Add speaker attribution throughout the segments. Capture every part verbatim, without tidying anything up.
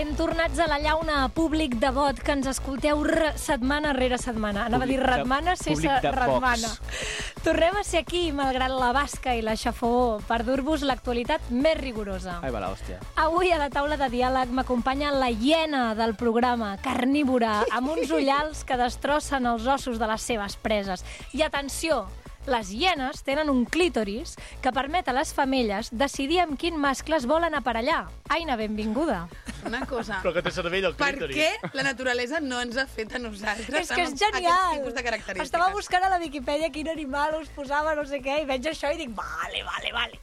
Speaker 1: Ben tornats a la llauna, públic devot, que ens escolteu setmana rere setmana. Anava a dir ratmana sense ratmana. Tornem a ser aquí, malgrat la basca i la xafogó, per dur-vos l'actualitat més rigorosa.
Speaker 2: Ai, va la hòstia.
Speaker 1: Avui a la taula de diàleg m'acompanya la hiena del programa, carnívora, amb uns ullals que destrossen els ossos de les seves preses. I atenció! Les hienes tenen un clítoris que permet a les femelles decidir amb quin mascle es volen aparellar. Aina, benvinguda.
Speaker 3: Una cosa.
Speaker 4: Però que té cervell el clítoris.
Speaker 3: Per què la naturalesa no ens ha fet a nosaltres
Speaker 1: És que és genial.
Speaker 3: aquest tipus de característiques?
Speaker 1: Estava buscant a la Viquipèdia quin animal us posava, no sé què, i veig això i dic, vale, vale, vale.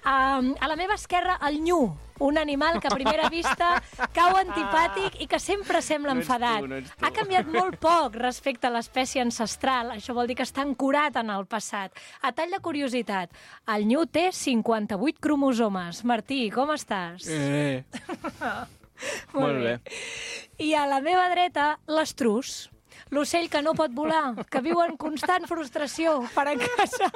Speaker 1: Um, a la meva esquerra, el nyu, un animal que a primera vista cau antipàtic i que sempre sembla
Speaker 2: No ets
Speaker 1: enfadat.
Speaker 2: tu, no ets tu.
Speaker 1: Ha canviat molt poc respecte a l'espècie ancestral, això vol dir que està ancorat en el passat. A tall de curiositat, el nyu té cinquanta-vuit cromosomes. Martí, com estàs?
Speaker 2: Eh. Molt bé.
Speaker 1: I a la meva dreta, l'estrus, l'ocell que no pot volar, que viu en constant frustració per a casa.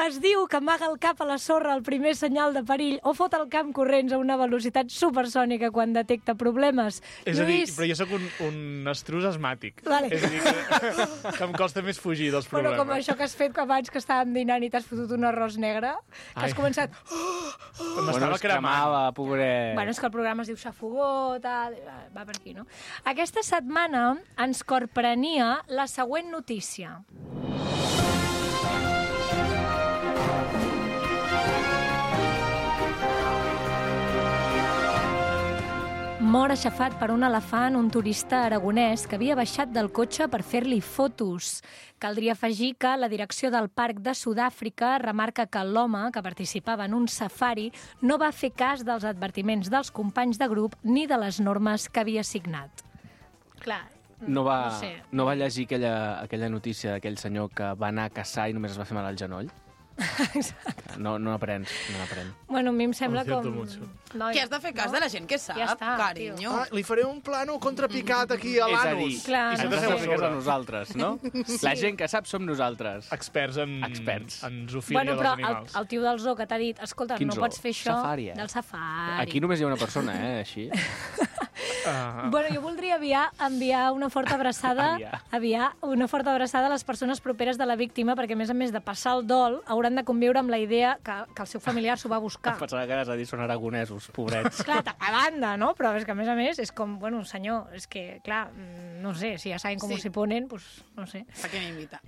Speaker 1: Es diu que amaga el cap a la sorra al primer senyal de perill o fot el camp corrents a una velocitat supersònica quan detecta problemes.
Speaker 4: És a dir,
Speaker 1: Lluís...
Speaker 4: però jo sóc un, un estrus asmàtic.
Speaker 1: Vale.
Speaker 4: És a dir, que, que em costa més fugir dels
Speaker 1: Bueno,
Speaker 4: problemes.
Speaker 1: com això que has fet abans que estàvem dinant i t'has fotut un arròs negre, que has
Speaker 4: Ai.
Speaker 1: començat...
Speaker 4: M'estava
Speaker 2: Bueno, es
Speaker 4: cremant.
Speaker 2: cremava, pobret.
Speaker 1: Bueno, és que el programa es diu Xafogó, tal... Va per aquí, no? Aquesta setmana ens corprenia la següent notícia. Mor aixafat per un elefant un turista aragonès que havia baixat del cotxe per fer-li fotos. Caldria afegir que la direcció del Parc de Sud-àfrica remarca que l'home, que participava en un safari, no va fer cas dels advertiments dels companys de grup ni de les normes que havia signat. Clar,
Speaker 2: No va,
Speaker 1: no sé.
Speaker 2: no va llegir aquella, aquella notícia d'aquell senyor que va anar a caçar i només es va fer mal al genoll? No, no aprens, no aprens.
Speaker 1: Bueno, a mi em sembla
Speaker 4: Ho siento
Speaker 1: com...
Speaker 4: mucho.
Speaker 1: Noi,
Speaker 3: Que has de fer cas
Speaker 1: no?
Speaker 3: de la gent que sap,
Speaker 1: Ja està,
Speaker 3: carinyo.
Speaker 4: Ah, li faré un plano contrapicat aquí a
Speaker 2: És a dir,
Speaker 4: l'anus.
Speaker 1: Clar.
Speaker 4: I
Speaker 2: ens
Speaker 4: sempre
Speaker 2: va
Speaker 4: feu
Speaker 2: fer cas
Speaker 4: sobre.
Speaker 2: a nosaltres, no? La gent que sap som nosaltres.
Speaker 4: Experts en,
Speaker 2: Experts.
Speaker 4: en zoofilia
Speaker 1: Bueno,
Speaker 4: dels
Speaker 1: però el,
Speaker 4: animals.
Speaker 1: el tio del zoo que t'ha dit, escolta,
Speaker 2: Quin
Speaker 1: no
Speaker 2: zoo?
Speaker 1: pots fer això...
Speaker 2: Safari, eh?
Speaker 1: Del safari.
Speaker 2: Aquí només hi ha una persona, eh, així.
Speaker 4: Ah,
Speaker 1: Bueno, jo voldria enviar, enviar una forta abraçada
Speaker 2: Enviar.
Speaker 1: enviar una forta abraçada a les persones properes de la víctima, perquè a més a més de passar el dol, hauran de conviure amb la idea que, que el seu familiar s'ho va buscar.
Speaker 2: Pensava que anaves a dir són aragonesos, pobrets.
Speaker 1: Clar, a banda, no? Però és que a més a més és com, bueno, senyor, és que, clar, mm, no sé, si ja saben com
Speaker 3: Sí.
Speaker 1: s'hi ponen, pues, no sé.
Speaker 3: Per què m'invita?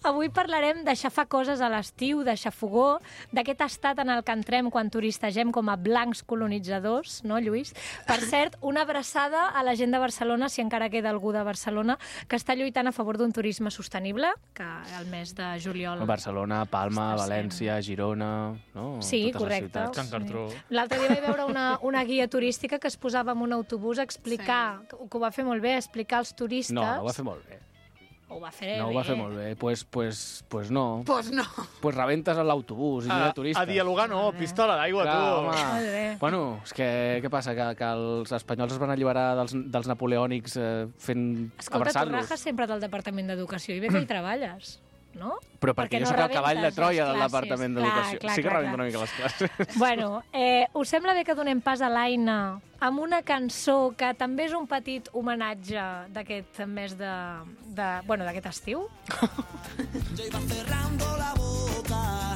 Speaker 1: Avui parlarem de xafar coses a l'estiu, de xafogó, d'aquest estat en el que entrem quan turistegem com a blancs colonitzadors, no, Lluís? Per cert, una abraçada a la gent de Barcelona, si encara queda algú de Barcelona, que està lluitant a favor d'un turisme sostenible, que el mes de juliol...
Speaker 2: Barcelona, Palma,
Speaker 1: Està
Speaker 2: València, Girona... No?
Speaker 1: Sí,
Speaker 2: Totes les
Speaker 1: correcte.
Speaker 2: ciutats.
Speaker 4: Can Cartró.
Speaker 1: Sí. L'altre dia vaig veure una, una guia turística que es posava en un autobús a explicar, sí. que ho va fer molt bé, a explicar als turistes...
Speaker 2: No, no ho va fer molt bé.
Speaker 1: Ho va fer
Speaker 2: No ho
Speaker 1: bé.
Speaker 2: va fer molt bé. Pues, pues, pues no.
Speaker 3: Pues no.
Speaker 2: Pues rebentes a l'autobús i no hi
Speaker 4: A,
Speaker 2: ha turistes.
Speaker 4: a dialogar no, pistola d'aigua,
Speaker 2: Clar,
Speaker 4: tu.
Speaker 2: home.
Speaker 1: Molt bé.
Speaker 2: Bueno, és que què passa? Que, que els espanyols es van alliberar dels, dels napoleònics eh, fent...
Speaker 1: Escolta, tu
Speaker 2: abraçant-los.
Speaker 1: rajes sempre del Departament d'Educació i bé que hi treballes, no?
Speaker 2: Però perquè,
Speaker 1: Perquè
Speaker 2: jo
Speaker 1: no
Speaker 2: soc el cavall de
Speaker 1: rebentes
Speaker 2: Troia
Speaker 1: les
Speaker 2: del
Speaker 1: classes.
Speaker 2: Departament
Speaker 1: Clar,
Speaker 2: d'Educació.
Speaker 1: clar,
Speaker 2: Sí que
Speaker 1: clar,
Speaker 2: rebento
Speaker 1: clar.
Speaker 2: una mica les classes.
Speaker 1: Bueno, eh, us sembla bé que donem pas a l'Aina amb una cançó que també és un petit homenatge d'aquest mes de... de bueno, d'aquest estiu?
Speaker 5: Yo iba cerrando la boca,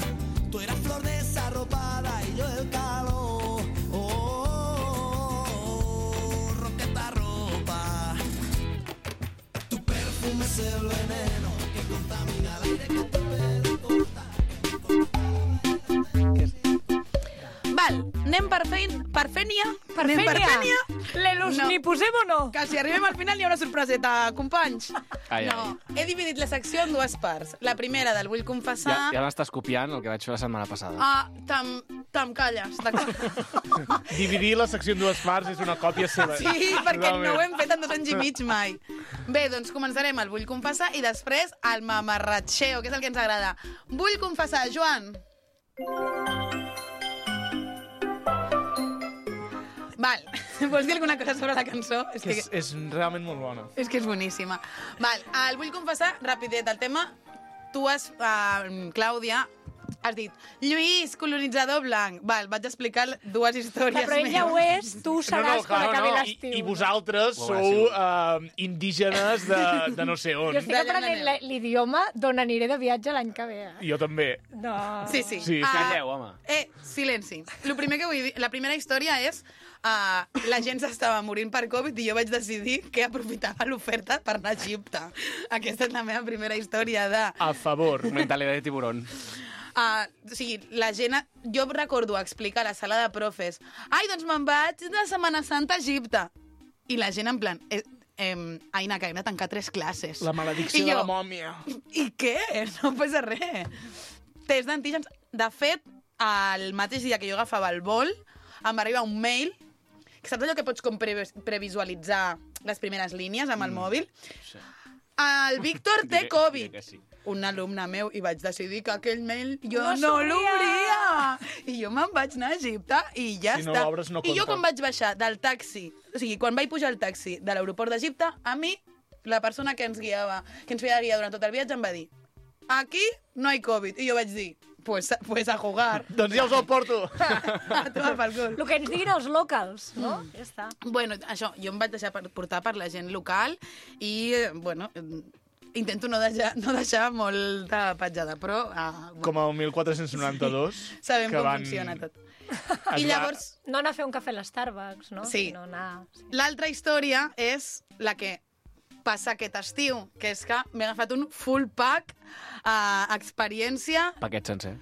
Speaker 5: tú eras flor desarropada y yo el calor. Oh, oh, oh, rompe esta ropa. Tu perfume es el veneno que contamina el aire que te puede cortar.
Speaker 3: Val, anem per fein... per fènia?
Speaker 1: Per
Speaker 3: Anem per
Speaker 1: Fènia?
Speaker 3: fènia?
Speaker 1: L'Elus
Speaker 3: No.
Speaker 1: n'hi posem o no?
Speaker 3: Que si arribem al final hi ha una sorpreseta, companys.
Speaker 2: Ai,
Speaker 3: no, he dividit la secció en dues parts. La primera del Vull confessar...
Speaker 2: Ja, ja m'estàs copiant el que vaig fer la setmana passada.
Speaker 3: Ah, tam, tam calles, d'acord?
Speaker 4: Dividir la secció en dues parts és una còpia seva.
Speaker 3: Sí, perquè
Speaker 4: Totalment.
Speaker 3: no ho hem fet en dos anys i mig mai. Bé, doncs començarem el Vull confessar i després el mamarratxeo, que és el que ens agrada. Vull confessar, Joan. Val, vols dir alguna cosa sobre la cançó? És
Speaker 4: Que és, és realment molt bona.
Speaker 3: És que és boníssima. Val, el vull confessar, rapidet, el tema. Tu has, uh, Clàudia, has dit, Lluís, colonitzador blanc. Val, vaig explicar dues històries
Speaker 1: Però ell ja ho és, tu ho seràs quan acabi
Speaker 4: I,
Speaker 1: l'estiu.
Speaker 4: I vosaltres
Speaker 2: Ho
Speaker 4: sou uh, indígenes de, de no sé on.
Speaker 1: Jo estic aprenent la- l'idioma d'on aniré de viatge l'any que ve. eh?
Speaker 4: Jo també.
Speaker 1: No.
Speaker 3: Sí, sí.
Speaker 4: Sí, sí.
Speaker 3: Ah,
Speaker 2: Calleu, home.
Speaker 3: Eh, silenci. Lo primer que vull dir, la primera història és uh, la gent s'estava morint per Covid i jo vaig decidir que aprofitava l'oferta per anar a Egipte. Aquesta és la meva primera història de...
Speaker 4: A favor.
Speaker 2: Mentalitat de tiburón.
Speaker 3: Uh, o sigui, la gent... Jo recordo explicar a la sala de profes ai, doncs me'n vaig de Setmana Santa a Egipte. I la gent en plan... Eh, eh, Aina, que hem de tancar tres classes.
Speaker 4: La maledicció
Speaker 3: I
Speaker 4: de
Speaker 3: jo,
Speaker 4: la mòmia.
Speaker 3: I què? No passa res. Test d'antígens. De fet, el mateix dia que jo agafava el vol, em va arribar un mail, que saps allò que pots com pre previsualitzar les primeres línies amb el mm. mòbil?
Speaker 2: Sí.
Speaker 3: El Víctor té
Speaker 2: Diré-
Speaker 3: Covid.
Speaker 2: diré que sí.
Speaker 3: Un alumne meu, i vaig decidir que aquell mail jo
Speaker 1: No
Speaker 3: no,
Speaker 1: s'obria.
Speaker 3: l'obria. I jo me'n vaig anar a Egipte i ja
Speaker 4: Si no
Speaker 3: està.
Speaker 4: l'obres, no
Speaker 3: I jo
Speaker 4: compta.
Speaker 3: quan vaig baixar del taxi, o sigui, quan vaig pujar al taxi de l'aeroport d'Egipte, a mi, la persona que ens guiava, que ens feia de guia durant tot el viatge, em va dir aquí no hay Covid. I jo vaig dir, pues, pues a jugar.
Speaker 4: Doncs ja us el porto.
Speaker 3: A tomar pel cul.
Speaker 1: El que ens diguin els locals, no?
Speaker 3: Mm.
Speaker 1: Ja està.
Speaker 3: Bueno, això, jo em vaig deixar per- portar per la gent local i, eh, bueno, eh, intento no deixar, no deixar molta petjada, però... Uh,
Speaker 4: Com el mil quatre-cents noranta-dos.
Speaker 3: sabem
Speaker 4: que
Speaker 3: com
Speaker 4: van...
Speaker 3: funciona tot.
Speaker 4: Es
Speaker 3: I
Speaker 4: va-
Speaker 3: llavors,
Speaker 1: No anar a fer un cafè a l'Starbucks, no?
Speaker 3: Sí.
Speaker 1: Sinó anar... Sí.
Speaker 3: l'altra història és la que passa aquest estiu, que és que m'he agafat un full pack uh, experiència.
Speaker 2: Paquet sencer.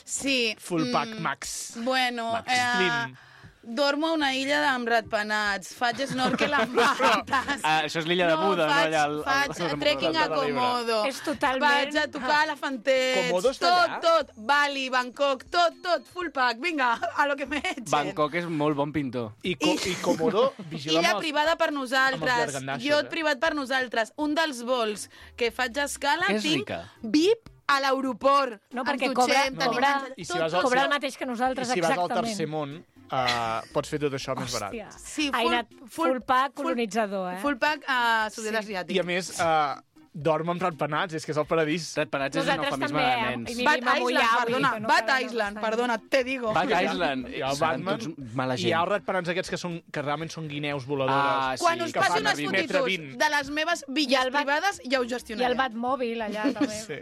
Speaker 3: Sí.
Speaker 4: Full pack
Speaker 3: mm,
Speaker 4: max.
Speaker 3: Bueno,
Speaker 2: Max
Speaker 3: eh,
Speaker 4: Slim.
Speaker 3: dormo a una illa amb ratpenats, faig snorkel amb rates.
Speaker 2: Ah, això és l'illa de Buda, no?
Speaker 3: faig,
Speaker 2: Allà al- al-
Speaker 3: faig
Speaker 2: al-
Speaker 3: trekking a
Speaker 4: al- al-
Speaker 3: Komodo.
Speaker 1: És totalment-
Speaker 3: Vaig a tocar elefantets.
Speaker 4: Komodo està
Speaker 3: tot,
Speaker 4: allà?
Speaker 3: tot. Bali, Bangkok, tot, tot. Full pack. Vinga, a lo que me echen.
Speaker 2: Bangkok és molt bon pintor.
Speaker 4: I, co I Komodo, vigila
Speaker 3: Illa
Speaker 4: amb els...
Speaker 3: privada per nosaltres,
Speaker 4: llarganassos,
Speaker 3: iot
Speaker 4: eh?
Speaker 3: privat per nosaltres. Un dels vols que faig a escala
Speaker 2: Que és
Speaker 3: tinc
Speaker 2: rica.
Speaker 3: V I P a l'aeroport.
Speaker 1: No,
Speaker 3: Amb
Speaker 1: perquè
Speaker 3: dutxem,
Speaker 1: cobra,
Speaker 3: tenim
Speaker 1: cobra,
Speaker 3: menjar,
Speaker 4: I si
Speaker 3: tot,
Speaker 4: vas al-
Speaker 3: tot.
Speaker 1: cobra
Speaker 4: si-
Speaker 1: el mateix que
Speaker 4: I
Speaker 1: nosaltres,
Speaker 4: si vas al
Speaker 1: exactament.
Speaker 4: tercer món, uh, pots fer tot això més barat.
Speaker 1: Hòstia.
Speaker 3: Sí,
Speaker 1: Ha
Speaker 3: full-
Speaker 1: anat full,
Speaker 3: full-
Speaker 1: pack
Speaker 3: full-
Speaker 1: colonitzador, eh?
Speaker 3: Full pack a sud-est asiàtic.
Speaker 4: I a més, uh, dorm amb ratpenats, és que és el paradís.
Speaker 2: Ratpenats és un
Speaker 1: Nosaltres
Speaker 2: eufemisme
Speaker 1: també,
Speaker 2: de
Speaker 1: eh?
Speaker 2: nens.
Speaker 1: I vivim
Speaker 3: Bat
Speaker 1: a
Speaker 3: Island,
Speaker 1: Moyawi,
Speaker 3: perdona,
Speaker 1: que no
Speaker 3: Bat
Speaker 1: cal
Speaker 3: Island,
Speaker 1: bastant.
Speaker 3: perdona, te digo.
Speaker 2: Bat Island.
Speaker 4: I el
Speaker 2: Seran
Speaker 4: Batman,
Speaker 2: tots mala
Speaker 4: i hi ha
Speaker 2: gent.
Speaker 4: ratpenats aquests que, són, que realment són guineus voladores.
Speaker 2: Ah, sí.
Speaker 3: Quan us
Speaker 4: que
Speaker 3: passi
Speaker 4: fan
Speaker 3: unes
Speaker 4: a vint metre
Speaker 3: fotitos
Speaker 4: vint.
Speaker 3: de les meves villes
Speaker 1: el Bat-
Speaker 3: privades, ja ho
Speaker 1: I
Speaker 3: gestionaré.
Speaker 1: el Batmòbil, allà, també.
Speaker 4: Sí.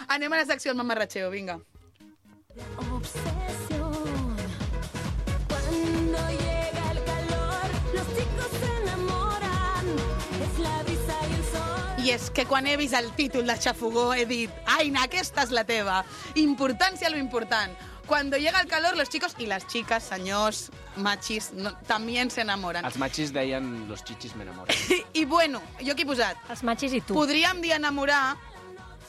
Speaker 3: Anem a la secció del mamarratxeo, vinga.
Speaker 6: Obsesión. Cuando llega el calor, los chicos se enamoran. Es la brisa y el sol.
Speaker 3: I és que quan he vist el títol de Xafogó he dit Aina, aquesta és la teva. Importància a lo important. Cuando llega el calor, los chicos y las chicas, senyors, machis, no, también se enamoran.
Speaker 2: Els machis deien los chichis me enamoran.
Speaker 3: I, I bueno, jo aquí he posat,
Speaker 1: Els machis i tu.
Speaker 3: podríem dir enamorar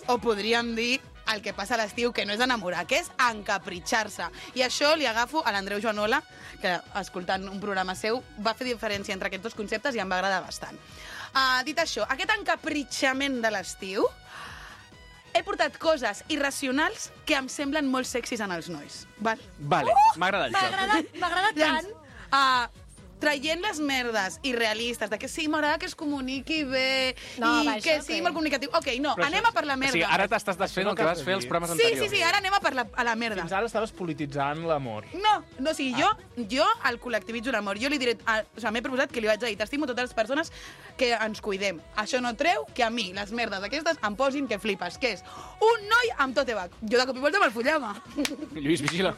Speaker 3: o podríem dir el que passa a l'estiu, que no és enamorar, que és encapritxar-se. I això li agafo a l'Andreu Joanola, que escoltant un programa seu va fer diferència entre aquests dos conceptes i em va agradar bastant. Uh, dit això, aquest encapritxament de l'estiu, he portat coses irracionals que em semblen molt sexis en els nois. Val?
Speaker 2: Vale, m'agrada el
Speaker 1: M'ha
Speaker 2: joc.
Speaker 1: agradat, m'ha agradat tant.
Speaker 3: Llavors, uh, traient les merdes irrealistes de que sí, m'agrada que es comuniqui bé
Speaker 1: No,
Speaker 3: i
Speaker 1: va,
Speaker 3: que
Speaker 1: això,
Speaker 3: sigui
Speaker 1: ok.
Speaker 3: molt comunicatiu. Ok, no,
Speaker 4: Però
Speaker 3: anem
Speaker 4: això-
Speaker 3: a per la
Speaker 2: O
Speaker 3: merda.
Speaker 2: sigui, ara t'estàs desfent el que vas fer els programes
Speaker 3: Sí,
Speaker 2: anteriors.
Speaker 3: sí, sí, ara anem a per la, a la merda.
Speaker 4: Fins ara estaves polititzant l'amor.
Speaker 3: No, no, o sigui, jo, jo el col·lectivitzo l'amor. Jo li diré, a, o sigui, m'he proposat que li vaig dir, t'estimo totes les persones que ens cuidem. Això no treu que a mi les merdes aquestes em posin que flipes, que és un noi amb tote bag. Jo de cop i volta me'l follava.
Speaker 2: Lluís, vigila.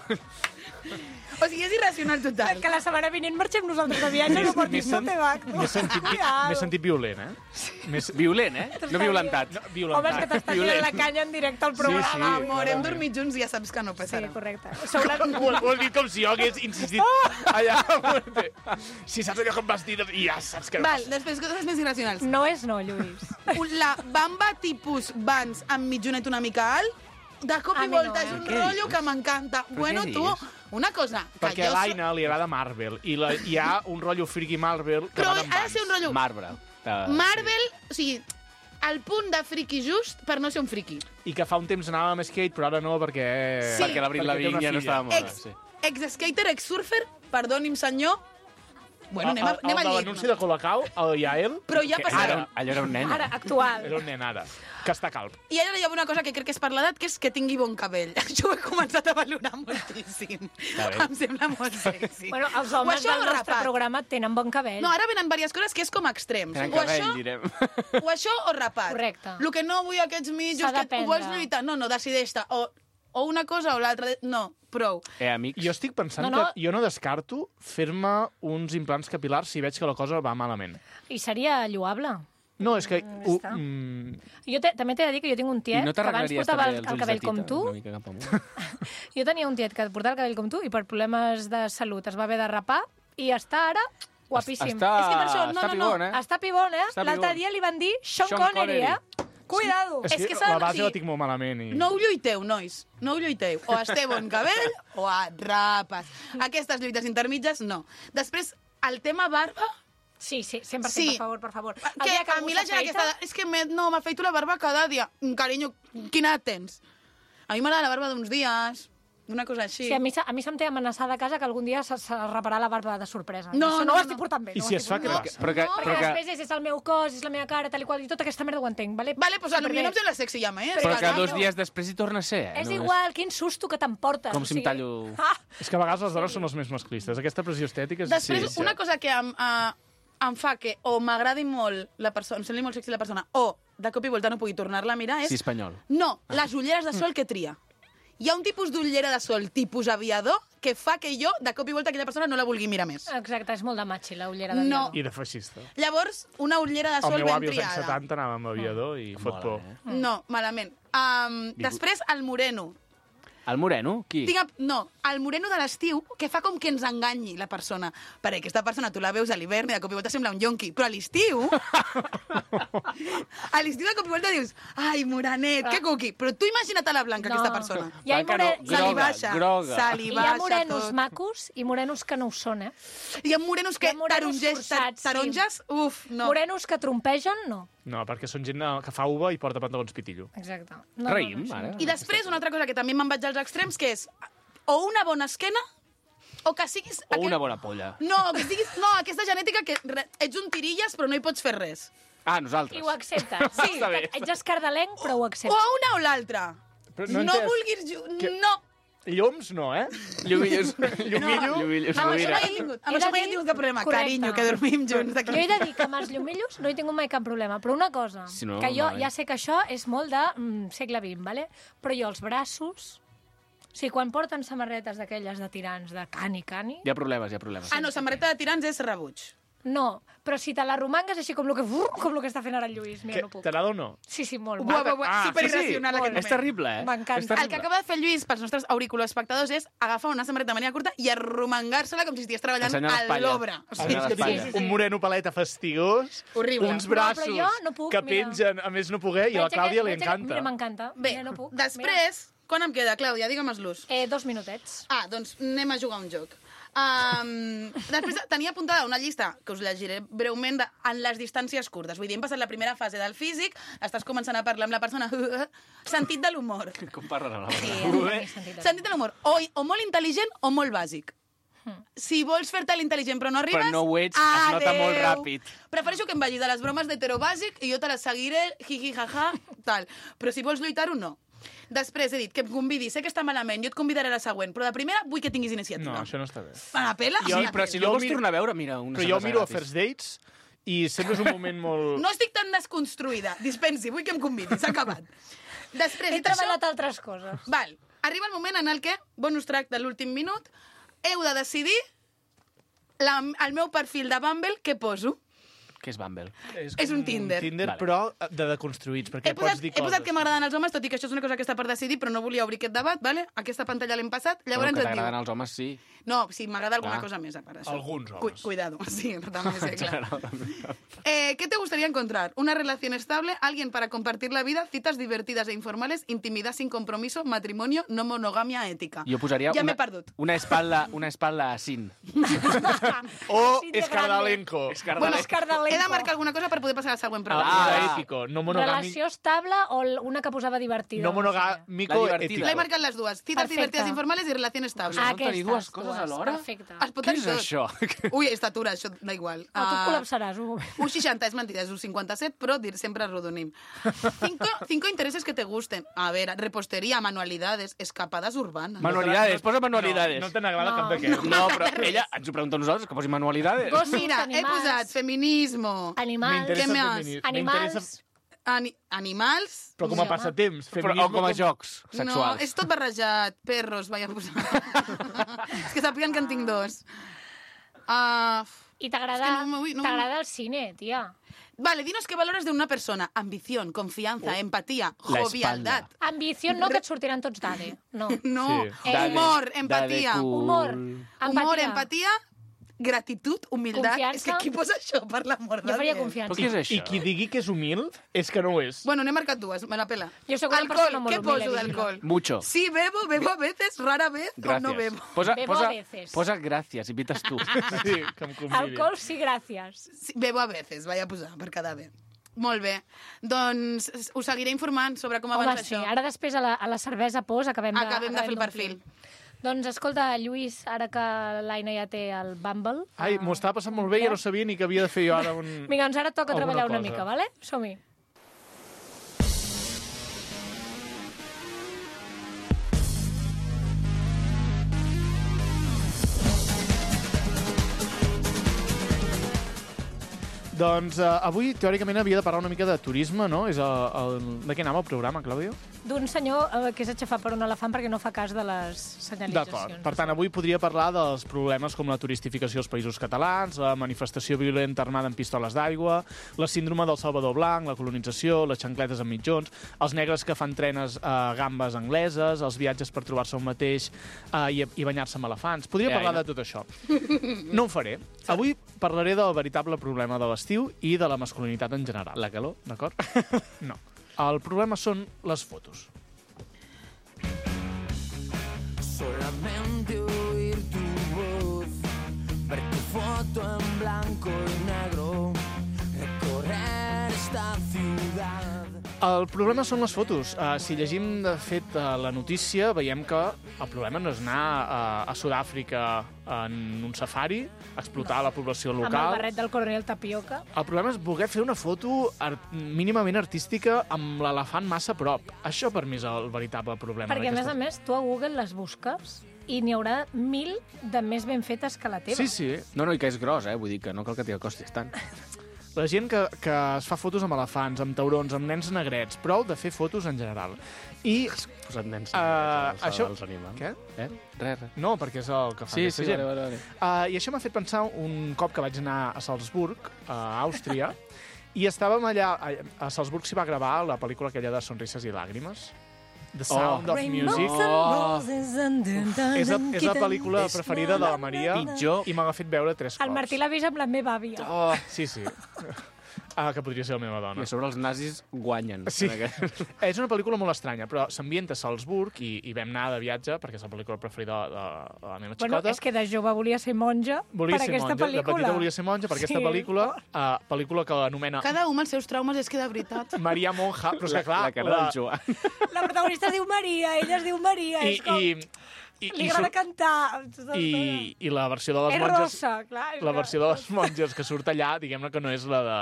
Speaker 3: O sigui, és irracional total.
Speaker 1: Que la setmana vinent marxem nosaltres de viatge, no portis no te va.
Speaker 4: M'he sentit, m'he sentit violent, eh? Més...
Speaker 2: Violent, eh? No violentat.
Speaker 4: No,
Speaker 1: Home, és que
Speaker 4: violentat.
Speaker 1: t'estàs dient la canya en directe al programa.
Speaker 4: sí.
Speaker 3: Amor, hem dormit junts i ja saps que no
Speaker 1: Sí,
Speaker 3: passarà.
Speaker 1: correcte. Sou la...
Speaker 4: Ho, ho has dit com si jo hagués insistit allà. Si saps allò que em vas dir, i ja saps que no
Speaker 3: Val,
Speaker 4: passa.
Speaker 3: després coses més irracionals.
Speaker 1: No és no, Lluís.
Speaker 3: Un- La bamba tipus Vans amb mitjonet una mica alt, de cop
Speaker 1: A
Speaker 3: i
Speaker 1: mi
Speaker 3: volta
Speaker 1: no,
Speaker 3: és
Speaker 1: eh?
Speaker 3: un
Speaker 2: Què
Speaker 3: rotllo
Speaker 2: dius?
Speaker 3: que m'encanta.
Speaker 2: Però
Speaker 3: Bueno,
Speaker 2: què
Speaker 3: tu,
Speaker 2: dius?
Speaker 3: una cosa, que
Speaker 4: Perquè a
Speaker 3: jo...
Speaker 4: l'Aina li agrada Marvel, i la, hi ha un rotllo friki Marvel que
Speaker 3: Però
Speaker 4: van
Speaker 3: ha
Speaker 4: amb
Speaker 3: de
Speaker 4: Vans.
Speaker 3: ser un rotllo...
Speaker 2: Marbre. Uh,
Speaker 3: Marvel, o sigui, el punt de friki just per no ser un friki.
Speaker 4: I que fa un temps anava amb skate, però ara no, perquè...
Speaker 3: Sí.
Speaker 2: Perquè l'Abril
Speaker 4: perquè té
Speaker 2: Lavigne
Speaker 4: una
Speaker 2: ja no
Speaker 4: filla.
Speaker 2: estava a moda.
Speaker 3: Ex,
Speaker 2: Sí.
Speaker 3: ex-skater, ex-surfer, perdoni'm senyor, Bueno, anem a,
Speaker 4: El-
Speaker 3: anem a
Speaker 4: el de
Speaker 3: llit.
Speaker 4: l'anunci de Colacao, el Yael,
Speaker 3: Però ja
Speaker 4: que
Speaker 3: passarà.
Speaker 2: Allò, allò era un nen.
Speaker 1: Ara, actual.
Speaker 4: era un nen ara, que està calb.
Speaker 3: I ara hi ha una cosa que crec que és per l'edat, que és que tingui bon cabell. Això ho he començat a valorar moltíssim.
Speaker 2: bé.
Speaker 3: Em sembla molt sexy.
Speaker 1: Bueno, els
Speaker 3: O
Speaker 1: homes
Speaker 3: això
Speaker 1: del
Speaker 3: o
Speaker 1: nostre
Speaker 3: rapat.
Speaker 1: programa tenen bon cabell.
Speaker 3: No, ara venen diverses coses que és com extrems.
Speaker 2: Tenen
Speaker 3: O
Speaker 2: cabell,
Speaker 3: això,
Speaker 2: direm.
Speaker 3: o això o rapat.
Speaker 1: Correcte.
Speaker 3: El que no vull aquests mitjos,
Speaker 1: S'ha
Speaker 3: que ho vols
Speaker 1: d'aprendre.
Speaker 3: lluitar. No, no, decideix-te. O, o una cosa o l'altra. No, prou.
Speaker 2: Eh, amics?
Speaker 4: Jo estic pensant
Speaker 1: No, no.
Speaker 4: que jo no descarto fer-me uns implants capilars si veig que la cosa va malament.
Speaker 1: I seria lloable.
Speaker 4: No, és que... Ho,
Speaker 1: està.
Speaker 4: mm,
Speaker 1: Jo te, també t'he de dir que jo tinc un
Speaker 2: I
Speaker 1: tiet
Speaker 2: no
Speaker 1: que abans
Speaker 2: t'arreglaries
Speaker 1: portava
Speaker 2: també
Speaker 1: el,
Speaker 2: els
Speaker 1: el
Speaker 2: ulls
Speaker 1: cabell
Speaker 2: de
Speaker 1: com
Speaker 2: tita?
Speaker 1: tu.
Speaker 2: Una mica cap amunt.
Speaker 1: Jo tenia un tiet que portava el cabell com tu i per problemes de salut es va haver de rapar i està ara guapíssim.
Speaker 2: Està,
Speaker 3: És que per això, no,
Speaker 2: està
Speaker 3: no, no.
Speaker 2: pibon, eh?
Speaker 1: Està pibon, eh?
Speaker 2: Està
Speaker 1: L'altre
Speaker 2: pibon.
Speaker 1: dia li van dir Sean,
Speaker 2: Sean
Speaker 1: Connery,
Speaker 2: Connery.
Speaker 1: eh? Cuidado!
Speaker 4: és,
Speaker 3: És
Speaker 4: que,
Speaker 3: que s'ha-
Speaker 4: la base
Speaker 3: o sigui,
Speaker 4: la tinc molt malament. I...
Speaker 3: No ho lluiteu, nois. No ho lluiteu. O es té bon cabell o et rapes. Aquestes lluites intermitges, no. Després, el tema barba...
Speaker 1: Sí, sí, cent per cent,
Speaker 3: Sí.
Speaker 1: per favor, per favor. El
Speaker 3: Que
Speaker 1: dia
Speaker 3: a
Speaker 1: algú
Speaker 3: mi la gent
Speaker 1: s'afeita-
Speaker 3: aquesta... És que me, no, m'afeito la barba cada dia. Mm, Carinyo, quina edat tens? A mi m'agrada la barba d'uns dies, d'una cosa així.
Speaker 1: Sí, a mi, se- a mi se'm té amenaçada a casa que algun dia se, se raparà la barba de sorpresa.
Speaker 3: No,
Speaker 1: Això
Speaker 3: no,
Speaker 1: no ho
Speaker 3: no.
Speaker 1: estic portant bé.
Speaker 4: I
Speaker 1: no ho
Speaker 4: si
Speaker 1: estic
Speaker 4: es fa
Speaker 1: portant bé.
Speaker 4: crec-
Speaker 2: Però que,
Speaker 3: No,
Speaker 2: però
Speaker 1: Perquè
Speaker 2: que,
Speaker 1: després és, és el meu cos, és la meva cara, tal i qual, i tota aquesta merda ho entenc, vale?
Speaker 3: Vale, doncs a mi
Speaker 1: Superbé.
Speaker 3: no em sembla sexy ja més.
Speaker 2: però que
Speaker 3: Caram.
Speaker 2: dos dies després hi torna a ser, eh?
Speaker 1: És
Speaker 2: Només-
Speaker 1: igual, quin susto que t'emportes.
Speaker 2: Com
Speaker 1: o
Speaker 2: si em
Speaker 1: sigui-
Speaker 2: tallo...
Speaker 1: Ah,
Speaker 4: És que a vegades les dones són les més masclistes. Aquesta pressió estètica és...
Speaker 3: Després,
Speaker 2: Sí, sí.
Speaker 3: una cosa que em, uh, em fa que o m'agradi molt la persona, em sembli molt sexy la persona, o de cop i volta no pugui tornar-la a mirar, és...
Speaker 2: Sí, espanyol.
Speaker 3: No, les ulleres de sol que tria. Hi ha un tipus d'ullera de sol tipus aviador que fa que jo, de cop i volta, aquella persona no la vulgui mirar més.
Speaker 1: exacte, és molt de matxi, la ullera de
Speaker 3: No.
Speaker 1: viador.
Speaker 4: I de feixista.
Speaker 3: Llavors, una ullera de
Speaker 4: El
Speaker 3: sol
Speaker 4: meu
Speaker 3: ben
Speaker 4: avi als anys
Speaker 3: triada.
Speaker 4: setanta anava amb aviador i fot
Speaker 2: Mola,
Speaker 4: por.
Speaker 2: eh?
Speaker 3: No, malament. Um, després, el moreno.
Speaker 2: El moreno? Qui?
Speaker 3: Tinc, no, el moreno de l'estiu, que fa com que ens enganyi la persona. Perquè aquesta persona tu la veus a l'hivern i de cop i volta sembla un yonqui, però a l'estiu... a l'estiu de cop i volta dius ai, morenet, que cuqui. Però tu imagina't a la blanca,
Speaker 1: No.
Speaker 3: aquesta persona.
Speaker 1: Hi ha,
Speaker 2: Blanca
Speaker 1: more...
Speaker 2: no,
Speaker 3: Se li
Speaker 2: groga,
Speaker 3: baixa,
Speaker 2: groga.
Speaker 3: se li
Speaker 1: hi
Speaker 3: baixa
Speaker 1: ha morenos
Speaker 3: tot.
Speaker 1: macos i morenos que no ho són, eh?
Speaker 3: Hi ha morenos que
Speaker 1: Hi ha morenos
Speaker 3: tarongers, tar
Speaker 1: forçats, sí.
Speaker 3: taronges, uf, no.
Speaker 1: Morenos que trompegen, no.
Speaker 4: No, perquè són gent eh, que fa uva i porta pantalons pitillo.
Speaker 1: Exacte. No,
Speaker 2: Raïm,
Speaker 1: no, no,
Speaker 2: ara.
Speaker 3: I després, una altra cosa que també me'n vaig als extrems, que és o una bona esquena, o que siguis...
Speaker 2: O una bona polla.
Speaker 3: No, que siguis... No, aquesta genètica que re, ets un tirilles però no hi pots fer res.
Speaker 2: Ah, nosaltres.
Speaker 1: I ho acceptes. Sí,
Speaker 2: Està bé.
Speaker 1: ets escardalenc, però ho
Speaker 3: O
Speaker 1: acceptes.
Speaker 3: a una o l'altra.
Speaker 4: Però
Speaker 3: No,
Speaker 4: no
Speaker 3: no
Speaker 4: entès.
Speaker 3: vulguis... ju-
Speaker 4: Que-
Speaker 3: No.
Speaker 4: Lloms no, eh?
Speaker 2: Llumillos.
Speaker 4: Llumillo?
Speaker 2: Llumillos.
Speaker 3: Amb això
Speaker 2: Rovira.
Speaker 3: mai he tingut, amb
Speaker 1: He
Speaker 3: això
Speaker 1: de
Speaker 3: mai he
Speaker 1: dir-
Speaker 3: tingut cap problema.
Speaker 1: Correcte.
Speaker 3: Carinyo, que dormim junts d'aquí.
Speaker 1: Jo he de dir que amb els llumillos no he tingut mai cap problema, però una cosa,
Speaker 2: Si no,
Speaker 1: que jo
Speaker 2: malament.
Speaker 1: ja sé que això és molt de mm, segle vint, vale? Però jo els braços... O sigui, quan porten samarretes d'aquelles de tirants de cani, cani...
Speaker 2: Hi ha problemes, hi ha problemes.
Speaker 3: Ah, no, samarreta de tirants és rebuig.
Speaker 1: No, però si te la romangues així com el que, com el que està fent ara el Lluís, mira,
Speaker 4: Que,
Speaker 1: no puc.
Speaker 4: T'agrada o no?
Speaker 1: Sí, sí, molt.
Speaker 3: Buah,
Speaker 1: va.
Speaker 3: buah, buah,
Speaker 2: Ah,
Speaker 3: superirracional
Speaker 2: sí, sí.
Speaker 3: aquest
Speaker 2: És
Speaker 3: moment.
Speaker 2: terrible, eh?
Speaker 1: M'encanta.
Speaker 2: És
Speaker 3: El
Speaker 2: terrible.
Speaker 3: que acaba de fer el Lluís pels nostres auriculoespectadors és agafar una samarreta de mania curta i arromangar-se-la com si estigués treballant
Speaker 2: Ensenyar
Speaker 3: a
Speaker 2: l'espatlla.
Speaker 3: l'obra. O
Speaker 4: A
Speaker 3: sigui,
Speaker 4: més que
Speaker 2: sí,
Speaker 4: tinc
Speaker 2: sí,
Speaker 1: sí.
Speaker 4: un moreno paleta fastigós,
Speaker 3: Horrible.
Speaker 4: uns
Speaker 3: No,
Speaker 4: braços
Speaker 1: però jo no puc,
Speaker 4: que
Speaker 1: mira.
Speaker 4: pengen, a més no poder, i a la
Speaker 1: Veig
Speaker 4: Clàudia
Speaker 1: aquest-
Speaker 4: li
Speaker 1: veig aquest-
Speaker 4: encanta.
Speaker 1: Mira, m'encanta.
Speaker 3: Bé,
Speaker 1: Mira, no puc.
Speaker 3: després, quan em queda, Clàudia? Digue'm-los.
Speaker 1: Mira. Eh, dos minutets.
Speaker 3: Ah, doncs anem a jugar a un joc. Um, després tenia apuntada una llista que us llegiré breument de, en les distàncies curtes. Vull dir, hem passat la primera fase del físic, estàs començant a parlar amb la persona... Sentit de l'humor.
Speaker 2: Com parlen a la
Speaker 1: Sí,
Speaker 2: vegada.
Speaker 1: ha de tenir sentit.
Speaker 3: Sentit de l'humor. O, o molt intel·ligent o molt bàsic. Si vols fer-te l'intel·ligent però no arribes...
Speaker 2: Però no ho ets, es nota
Speaker 3: adeu.
Speaker 2: molt ràpid.
Speaker 3: Prefereixo que em vagis a les bromes d'hetero bàsic i jo te les seguiré, jiji, jaja, tal. Però si vols lluitar-ho, no. Després he dit que em convidi, sé que està malament, jo et convidaré a la següent, però de primera vull que tinguis iniciativa.
Speaker 4: No, això no està bé.
Speaker 3: Me la pela?
Speaker 2: Sí,
Speaker 3: Me la
Speaker 2: però
Speaker 3: pela.
Speaker 2: si
Speaker 4: Jo
Speaker 2: no vols
Speaker 4: miro-
Speaker 2: tornar a veure, mira, una
Speaker 4: Però jo
Speaker 2: cervesa
Speaker 4: miro a
Speaker 2: gratis.
Speaker 4: First Dates i sempre és un moment molt...
Speaker 3: No estic tan desconstruïda. Dispensi, vull que em convidi, s'ha acabat. Després,
Speaker 1: He
Speaker 3: dit això,
Speaker 1: treballat altres coses.
Speaker 3: val, arriba el moment en el que, bonus track de l'últim minut, heu de decidir la, el meu perfil de Bumble què poso.
Speaker 2: Què és Bumble?
Speaker 3: És un Tinder.
Speaker 4: Tinder,
Speaker 2: Vale.
Speaker 4: però de deconstruïts, perquè
Speaker 3: He posat,
Speaker 4: pots dir
Speaker 3: he posat
Speaker 4: coses.
Speaker 3: que m'agraden els homes, tot i que això és una cosa que està per decidir, però no volia obrir aquest debat, vale? Aquesta pantalla l'hem passat. Llavors
Speaker 2: Bueno, que
Speaker 3: et
Speaker 2: t'agraden
Speaker 3: diu...
Speaker 2: els homes, sí.
Speaker 3: No, sí, m'agrada alguna
Speaker 2: Ah.
Speaker 3: cosa més, a part d'això.
Speaker 4: Alguns homes.
Speaker 3: Cu cuidado, sí, també sé, clar. Eh, ¿Qué te gustaría encontrar? Una relación estable, alguien para compartir la vida, citas divertidas e informales, intimidad sin compromiso, matrimonio, no monogamia ética.
Speaker 2: Jo posaria
Speaker 3: Ja
Speaker 2: una,
Speaker 3: m'he perdut.
Speaker 2: una espalda, una espalda a Sin.
Speaker 4: O
Speaker 1: Sí, de
Speaker 4: Escardalenco.
Speaker 3: Bueno,
Speaker 1: Escardalenco.
Speaker 3: he de marcar alguna cosa per poder passar al següent
Speaker 4: Ah,
Speaker 3: programa.
Speaker 4: era
Speaker 2: Ah.
Speaker 4: ètico. No monogàmic.
Speaker 1: Relació estable o l- una que posava divertida?
Speaker 4: No monogàmico
Speaker 2: La divertida.
Speaker 4: ètico.
Speaker 3: L'he marcat les dues. Cites
Speaker 1: Perfecte.
Speaker 3: divertides informales i relació estable.
Speaker 1: Ah,
Speaker 2: Pots tenir
Speaker 1: aquestes
Speaker 2: dues coses alhora?
Speaker 1: Perfecte.
Speaker 3: Es pot
Speaker 2: Què
Speaker 3: tenir
Speaker 2: és
Speaker 3: tot.
Speaker 2: això?
Speaker 3: Ui, estatura, això da igual.
Speaker 1: Ah, tu et
Speaker 3: Ah,
Speaker 1: col·lapsaràs, un moment.
Speaker 3: un seixanta és mentida, és un cinquanta-set, però dir, sempre arrodonim. Cinco, cinco intereses que te gusten. A ver, repostería, manualidades, escapadas urbanas.
Speaker 2: Manualidades, posa manualidades.
Speaker 4: No, no te n'agrada
Speaker 1: No.
Speaker 4: cap d'aquests.
Speaker 2: No, però ella ens ho pregunta a nosaltres, que posi manualidades.
Speaker 1: Gossos,
Speaker 3: Mira, he
Speaker 1: animals,
Speaker 3: posat feminismo,
Speaker 1: Animals,
Speaker 4: M'interessa
Speaker 3: Què
Speaker 4: el
Speaker 3: més?
Speaker 4: feminisme.
Speaker 1: animals...
Speaker 4: M'interessa-
Speaker 3: ani animals...
Speaker 4: Però com a
Speaker 1: Sí, home.
Speaker 4: passatemps.
Speaker 2: Però,
Speaker 4: Feminisme
Speaker 2: o com a jocs
Speaker 3: No,
Speaker 2: sexuals.
Speaker 3: és tot barrejat. Perros, vaig a posar. És que sàpiguen que en tinc dos. Uh,
Speaker 1: I t'agrada
Speaker 3: És que no m'ho- no-
Speaker 1: t'agrada el cine, tia.
Speaker 3: vale, dinos qué valores de una persona. Ambición, confianza, empatía,
Speaker 2: La
Speaker 3: jovialidad.
Speaker 1: Ambició no, que et sortiran tots d'A D E. No.
Speaker 3: No,
Speaker 4: Sí.
Speaker 1: Dade-
Speaker 3: humor,
Speaker 2: Dade
Speaker 3: empatía.
Speaker 2: cool.
Speaker 1: Humor,
Speaker 3: Humor,
Speaker 1: empatia.
Speaker 3: empatía, gratitud, humildad.
Speaker 1: Confiança.
Speaker 3: És que qui posa això, per l'amor de
Speaker 1: Jo faria
Speaker 3: Déu?
Speaker 1: confiança.
Speaker 2: Però què és això?
Speaker 4: I qui digui que és humil és que no ho és.
Speaker 3: Bueno, n'he marcat dues, me la pela.
Speaker 1: Jo sóc una
Speaker 3: Alcohol,
Speaker 1: persona molt
Speaker 3: què
Speaker 1: humil,
Speaker 3: poso
Speaker 1: evidentment.
Speaker 3: d'alcohol?
Speaker 2: Mucho.
Speaker 3: Sí, bebo, bebo a veces, rara vez, o no
Speaker 2: Gràcies.
Speaker 3: bebo.
Speaker 2: Posa,
Speaker 1: Bebo
Speaker 2: posa,
Speaker 1: a veces.
Speaker 2: posa gràcies i pites tu.
Speaker 4: Sí, que em convidi.
Speaker 1: Alcohol, sí, gràcies.
Speaker 3: Sí, bebo a veces, vaig a posar, per quedar bé. Molt bé. Doncs us seguiré informant sobre com
Speaker 1: Home,
Speaker 3: avança
Speaker 1: sí,
Speaker 3: això.
Speaker 1: ara després a la, a la cervesa pos acabem de...
Speaker 3: Acabem de fer el
Speaker 1: d'omplir.
Speaker 3: perfil.
Speaker 1: Doncs escolta, Lluís, ara que l'Aina ja té el Bumble...
Speaker 4: Ai, m'ho estava passant molt bé i ja no sabia ni que havia de fer jo ara un...
Speaker 1: Vinga, doncs ara toca
Speaker 4: Alguna
Speaker 1: treballar una
Speaker 4: cosa.
Speaker 1: mica, vale? Som-hi.
Speaker 4: Doncs uh, avui, teòricament, havia de parlar una mica de turisme, no? És el, el... De què anava el programa, Clàudio?
Speaker 1: D'un senyor eh, que és aixafat per un elefant perquè no fa cas de les
Speaker 4: D'acord.
Speaker 1: senyalitzacions.
Speaker 4: Per tant, avui podria parlar dels problemes com la turistificació als països catalans, la manifestació violenta armada amb pistoles d'aigua, la síndrome del Salvador Blanc, la colonització, les xancletes amb mitjons, els negres que fan trenes a uh, gambes angleses, els viatges per trobar-se un mateix uh, i, i banyar-se amb elefants. Podria
Speaker 2: Eh,
Speaker 4: parlar
Speaker 2: Aina?
Speaker 4: de tot això. No ho faré. Avui parlaré del veritable problema de l'estiu i de la masculinitat en general.
Speaker 2: La calor?
Speaker 4: D'acord? No. El problema són les fotos.
Speaker 5: Solamente oír tu voz, ver tu foto en blanco y negro, recorrer esta ciudad.
Speaker 4: El problema són les fotos. Uh, si llegim, de fet, uh, la notícia, veiem que el problema no és anar uh, a Sud-àfrica en un safari, explotar no. la població
Speaker 1: Amb el
Speaker 4: local.
Speaker 1: barret del coronel Tapioca.
Speaker 4: El problema és voler fer una foto art mínimament artística amb l'elefant massa a prop. Això per mi és el veritable problema.
Speaker 1: Perquè, a més a
Speaker 4: d'aquestes-
Speaker 1: més, tu a Google les busques i n'hi haurà mil de més ben fetes que la teva.
Speaker 4: Sí, sí.
Speaker 2: No, no, i que és gros, eh? Vull dir que no cal que t'hi acostis tant.
Speaker 4: La gent que, que es fa fotos amb elefants, amb taurons, amb nens negrets, prou de fer fotos en general. I...
Speaker 2: Posat nens
Speaker 4: Uh, això...
Speaker 2: dels animals.
Speaker 4: Què?
Speaker 2: Eh? Res, res.
Speaker 4: No, perquè és el que fa
Speaker 2: Sí,
Speaker 4: aquesta
Speaker 2: sí,
Speaker 4: gent.
Speaker 2: vale, vale, vale.
Speaker 4: Uh, I això m'ha fet pensar un cop que vaig anar a Salzburg, a Àustria, i estàvem allà... A, a Salzburg s'hi va gravar la pel·lícula aquella de Sonrises i Làgrimes. The Sound
Speaker 2: Oh.
Speaker 4: of Music.
Speaker 2: Oh.
Speaker 4: És la, és la pel·lícula preferida de la Maria
Speaker 2: Pitjor.
Speaker 4: i m'ha fet veure tres cops.
Speaker 1: El Martí l'ha vist amb la meva àvia.
Speaker 2: Oh.
Speaker 4: Sí, sí. Ah, que podria ser la meva
Speaker 2: I
Speaker 4: dona.
Speaker 2: a sobre els nazis guanyen.
Speaker 4: Sí.
Speaker 2: En aquest-
Speaker 4: És una pel·lícula molt estranya, però s'ambienta a Salzburg i, i vam anar de viatge, perquè és la pel·lícula preferida de, de la meva
Speaker 1: Bueno,
Speaker 4: xicota.
Speaker 1: és que de jove volia ser monja
Speaker 4: Volia
Speaker 1: per
Speaker 4: ser
Speaker 1: aquesta
Speaker 4: monja,
Speaker 1: pel·lícula.
Speaker 4: de petita volia ser monja per aquesta
Speaker 1: Sí.
Speaker 4: pel·lícula, uh, pel·lícula que anomena
Speaker 3: Cada un amb els seus traumes és que de veritat.
Speaker 4: Maria Monja, però és que clar...
Speaker 2: la cara del Joan.
Speaker 1: La protagonista es diu Maria, ella es diu Maria,
Speaker 4: I,
Speaker 1: és com...
Speaker 4: i, i,
Speaker 1: Li
Speaker 4: i,
Speaker 1: agrada
Speaker 4: surt-
Speaker 1: cantar.
Speaker 4: i, i la versió de les
Speaker 1: és
Speaker 4: monges...
Speaker 1: rossa, clar. És
Speaker 4: La
Speaker 1: que-
Speaker 4: versió de les monges que surt allà, diguem-ne que no és la de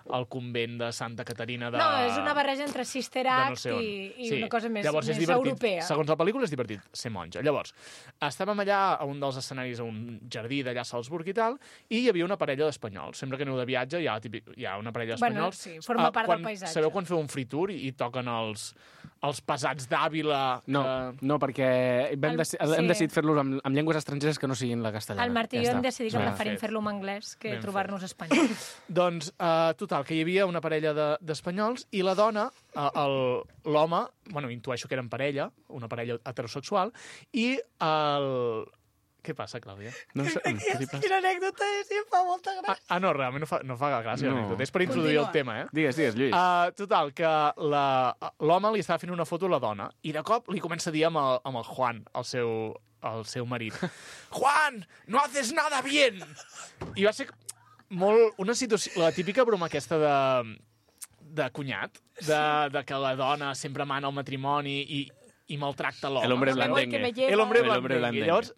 Speaker 4: el convent de Santa Caterina de...
Speaker 1: No, és una barreja entre Sister
Speaker 4: de
Speaker 1: Act
Speaker 4: no sé on.
Speaker 1: i, i
Speaker 4: Sí.
Speaker 1: una cosa més,
Speaker 4: Llavors, és
Speaker 1: més
Speaker 4: divertit.
Speaker 1: europea.
Speaker 4: Segons la pel·lícula és divertit ser monja. Llavors, estàvem allà a un dels escenaris, a un jardí d'allà a Salzburg i tal, i hi havia una parella d'espanyols. Sempre que aneu de viatge hi ha, típic, hi ha una parella
Speaker 1: Bueno,
Speaker 4: d'espanyols.
Speaker 1: sí, forma
Speaker 4: Ah,
Speaker 1: part del
Speaker 4: quan,
Speaker 1: paisatge.
Speaker 4: Sabeu quan feu un free tour i, i toquen els, els pesats d'Àvila?
Speaker 2: No,
Speaker 4: que-
Speaker 2: no, perquè vam
Speaker 1: El-
Speaker 2: deci
Speaker 1: sí.
Speaker 2: hem decidit fer-los amb, amb llengües estrangeres que no siguin la castellana.
Speaker 1: El Martí i
Speaker 2: Ja
Speaker 1: jo hem
Speaker 2: està.
Speaker 1: decidit que
Speaker 4: Ben
Speaker 1: preferim
Speaker 4: fet.
Speaker 1: fer-lo en anglès que
Speaker 4: Ben
Speaker 1: trobar-nos espanyols.
Speaker 4: Doncs, uh, total, que hi havia una parella de- d'espanyols i la dona, uh, el- l'home, bueno, intueixo que eren parella, una parella heterosexual, i el... Què passa, Clàudia?
Speaker 2: No sé, què li passa?
Speaker 1: Quina anècdota és, i em fa molta
Speaker 4: Ah,
Speaker 1: gràcia.
Speaker 4: ah, no, realment no fa, no fa gràcia,
Speaker 2: No.
Speaker 4: no. És per introduir
Speaker 3: Continua.
Speaker 4: el tema, eh?
Speaker 2: Digues, digues, Lluís.
Speaker 4: Uh, total, que la- l'home li estava fent una foto a la dona i de cop li comença a dir amb el, amb el Juan, el seu, el seu marit, Juan, no haces nada bien! I va ser molt, una situació, la típica broma aquesta de, de cunyat, de, de que la dona sempre mana al matrimoni i, i maltracta l'home.
Speaker 2: El hombre
Speaker 1: Me voy, que me
Speaker 2: blandengue.
Speaker 1: lleva.
Speaker 4: El hombre
Speaker 2: El hombre
Speaker 4: blandengue.
Speaker 2: blandengue.
Speaker 4: Llavors,